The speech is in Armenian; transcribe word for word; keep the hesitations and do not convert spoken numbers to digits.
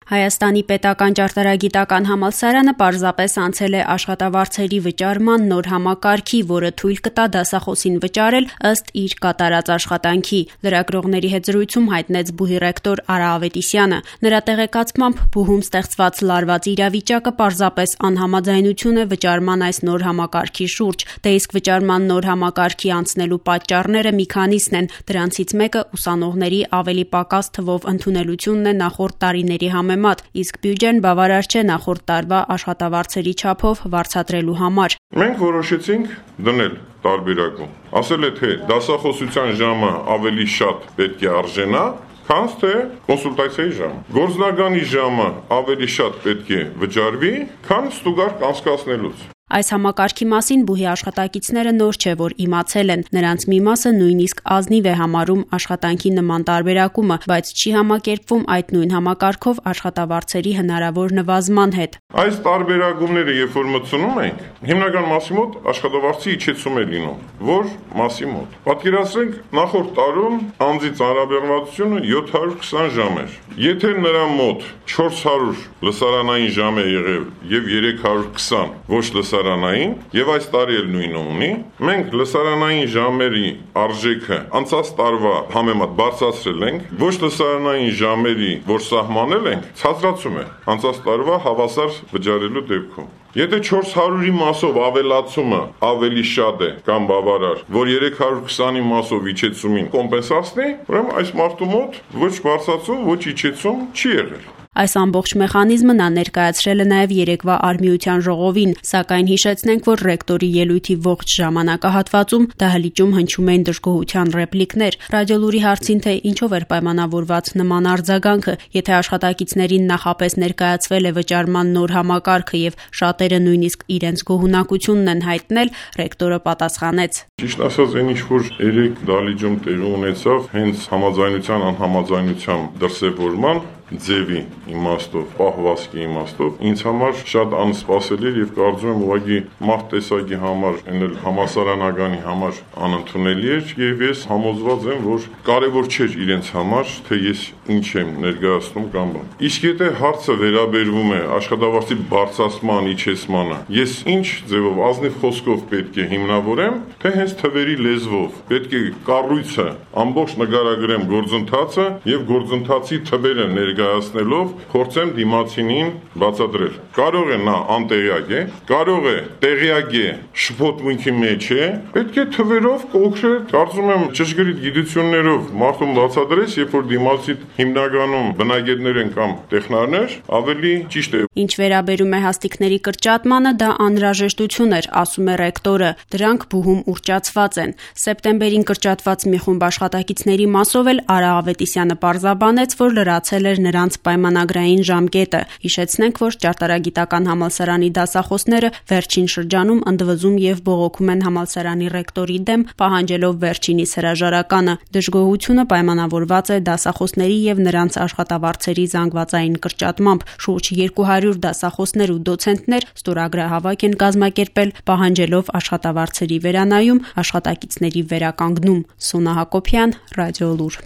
Հայաստանի պետական ճարտարագիտական համալսարանը պարզապես անցել է աշխատավարձերի վճարման նոր համակարգի, որը թույլ կտա դասախոսին վճարել ըստ իր կատարած աշխատանքի, լրագրողների հետ զրույցում հայտնեց ԲՈՒՀ-ի ռեկտոր Արա Ավետիսյանը։ Նրա տեղեկացմամբ ԲՈՒՀ-ում ստեղծված լարված իրավիճակը պարզապես անհամաձայնություն է վճարման այս նոր համակարգի շուրջ, դե իսկ վճարման նոր համակարգի անցնելու պատճառները մի քանիսն են, դրանցից մեկը ուսանողների ավելի պակաս թվով ընդունելությունն է նախորդ տարիների համեմատ, իսկ բյուջեն բավարար չէ նախորդ տարվա աշխատավարձերի չափով վարձատրելու համար։ Մենք որոշեցինք դնել տարբերակում։ Ասել է, թե դասախոսության ժամը ավելի շատ պետք է արժենա, քան թե կոնսուլտացիայի ժամը։ Գործնագանի ժամը ավելի շատ պետք է վճարվի, քան ստուգարկ անցկացնելուց։ Այս համակարգի մասին ԲՈՒՀ-ի աշխատակիցները նոր չէ, որ իմացել են, նրանց մի մասը նույնիսկ ազնիվ է համարում աշխատանքի նման տարբերակումը, բայց չի համակերպվում այդ նույն համակարգով աշխատավարձերի հնարավոր նվազման հետ։ Այս տարբերակումները, երբ որ մտցնում ենք, հիմնական մասի մոտ աշխատավարձի իջեցում է լինում, որ մասի մոտ։ Պատկերացրենք, նախորդ տարում անձի ծանրաբեռնվածությունը յոթ հարյուր քսան ժամ էր։ Եթե նրա մոտ չորս հարյուր լսարանային ժամ է եղել եւ երեք հարյուր քսան ոչ լսարանային, եւ այս տարի էլ նույնը ունի, մենք լսարանային ժամերի արժեքը անցած տարվա համեմատ բարձրացրել ենք, ոչ լսարանային ժամերի, որ սահմանել ենք, ցածրացում է անցած տարվա հավասար վճարելու դեպքում։ Եթե չորս հարյուրի մասով ավելացումը ավելի շատ է կամ բավարար, որ երեք հարյուր քսանի մասով իջեցումին կոմպենսացնի, ուրեմն այս մարդու մոտ ոչ բարձրացում, ոչ իջեցում չի եղել։ Այս ամբողջ մեխանիզմը նա ներկայացրել է նաև երեկվա Արմիության ժողովին, սակայն հիշեցնենք, որ ռեկտորի ելույթի ողջ ժամանակահատվածում դահլիճում հնչում էին դժգոհության ռեպլիկներ։ Ռադիոլուրի հարցին, թե ինչով էր պայմանավորված նման արձագանքը, եթե աշխատակիցներին նախապես ներկայացվել է վճարման նոր համակարգը եւ շատերը նույնիսկ իրենց գոհունակությունն են հայտնել, ռեկտորը պատասխանեց. Ճիշտ ասած, այն ինչ որ երեք դահլիճում տեղի ունեցավ, հենց համաձայնության անհամաձայնության դրսևորման ձևի իմաստով, պահվածքի իմաստով, ինձ համար շատ անսպասելի էր եւ կարծում եմ ուղղակի մարդ տեսակի համար, այնել համասարանագանի համար անընդունելի էր եւ ես համոզված եմ, որ կարեւոր չէր իրենց համար, թե ես ինչ եմ ներկայացնում կամ բան։ Իսկ եթե հարցը վերաբերվում է աշխատավարձի բարձրացման, իջեցմանը, ես ինչ ձևով ազնիվ խոսքով պետք է հիմնավորեմ, թե հենց թվերի լեզվով, պետք է կառույցը ամբողջ նկարագրեմ գործընթացը եւ գործընթացի թվերը ներկայացնելով փորձեմ դիմացինին բացատրել։ Կարող է նա անտեղյակ է, կարող է տեղյակ է, շփոթմունքի մեջ է, պետք է թվերով կոնկրետ, կարծում եմ ճշգրիտ գիտություններով մարդուն բացատրես, երբ որ դիմացի հիմնականում բնագետներ են կամ տեխնարներ, ավելի ճիշտ է։ Ինչ վերաբերում է հաստիկների կրճատմանը, դա անհրաժեշտություն էր, ասում է ռեկտորը։ Դրանք ԲՈՒՀ-ում ուռճացված են։ Սեպտեմբերին կրճատված մի խումբ աշխատակիցների մասով էլ Արա Ավետիսյանը պարզաբանեց, որ լրացել էր նրանց պայմանագրային ժամկետը։ Հիշեցնենք, որ ճարտարագիտական համալսարանի դասախոսները վերջին շրջանում ընդվզում եւ բողոքում են համալսարանի ռեկտորի դեմ, պահանջելով վերջինիս հրաժարականը։ Դժգոհությունը պայմանավորված է դասախոսների եւ նրանց աշխատավարձերի զանգվածային կրճատմամբ։ Շուրջ երկու հարյուր դասախոսներ ու դոցենտներ ստորագրահավաք են կազմակերպել, պահանջելով աշխատավարձերի վերանայում, աշխատակիցների վերականգնում։ Սոնա Հակոբյան, Ռադիոլուր։